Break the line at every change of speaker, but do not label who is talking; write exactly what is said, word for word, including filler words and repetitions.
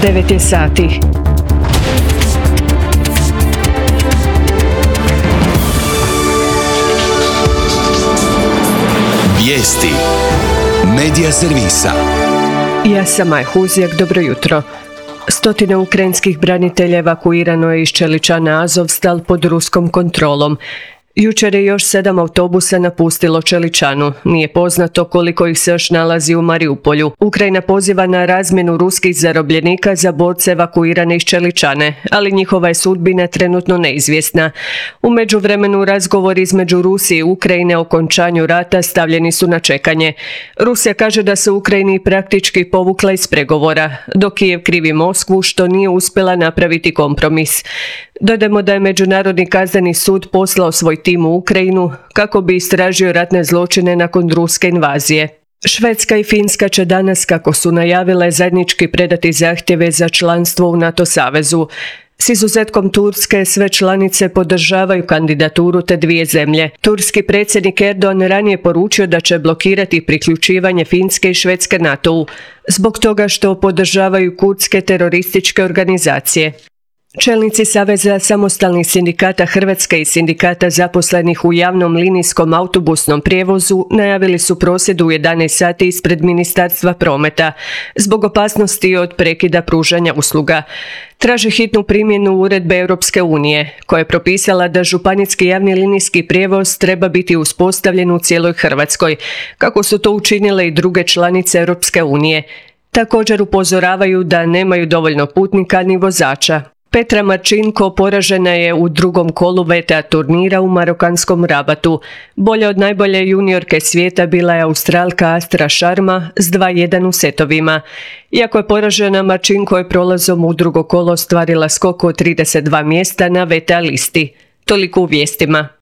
devet je sati.
Vijesti Medija servisa.
Ja sam Maja Huzjak, dobro jutro. Stotine ukrajinskih branitelja evakuirano je iz Čeličana Azovstal pod ruskom kontrolom. Jučer je još sedam autobusa napustilo Čeličanu. Nije poznato koliko ih se još nalazi u Mariupolju. Ukrajina poziva na razmjenu ruskih zarobljenika za borce evakuirane iz Čeličane, ali njihova je sudbina trenutno neizvjesna. U međuvremenu razgovori između Rusije i Ukrajine o okončanju rata stavljeni su na čekanje. Rusija kaže da se Ukrajini praktički povukla iz pregovora, dok Kijev krivi Moskvu što nije uspjela napraviti kompromis. Dodajmo da je Međunarodni kazneni sud poslao svoj tim u Ukrajinu kako bi istražio ratne zločine nakon ruske invazije. Švedska i Finska će danas, kako su najavile, zajednički predati zahtjeve za članstvo u NATO savezu. S izuzetkom Turske, sve članice podržavaju kandidaturu te dvije zemlje. Turski predsjednik Erdogan ranije poručio da će blokirati priključivanje Finske i Švedske NATO-u, zbog toga što podržavaju kurdske terorističke organizacije. Čelnici Saveza samostalnih sindikata Hrvatske i sindikata zaposlenih u javnom linijskom autobusnom prijevozu najavili su prosvjed u jedanaest sati ispred Ministarstva prometa zbog opasnosti od prekida pružanja usluga. Traže hitnu primjenu uredbe Europske unije, koja je propisala da županijski javni linijski prijevoz treba biti uspostavljen u cijeloj Hrvatskoj, kako su to učinile i druge članice Europske unije. Također upozoravaju da nemaju dovoljno putnika ni vozača. Petra Marčinko poražena je u drugom kolu V T A turnira u marokanskom Rabatu. Bolja od najbolje juniorke svijeta bila je Australka Astra Sharma s dva jedan u setovima. Iako je poražena, Marčinko je prolazom u drugo kolo ostvarila skok od trideset dva mjesta na V T A listi. Toliko u vijestima.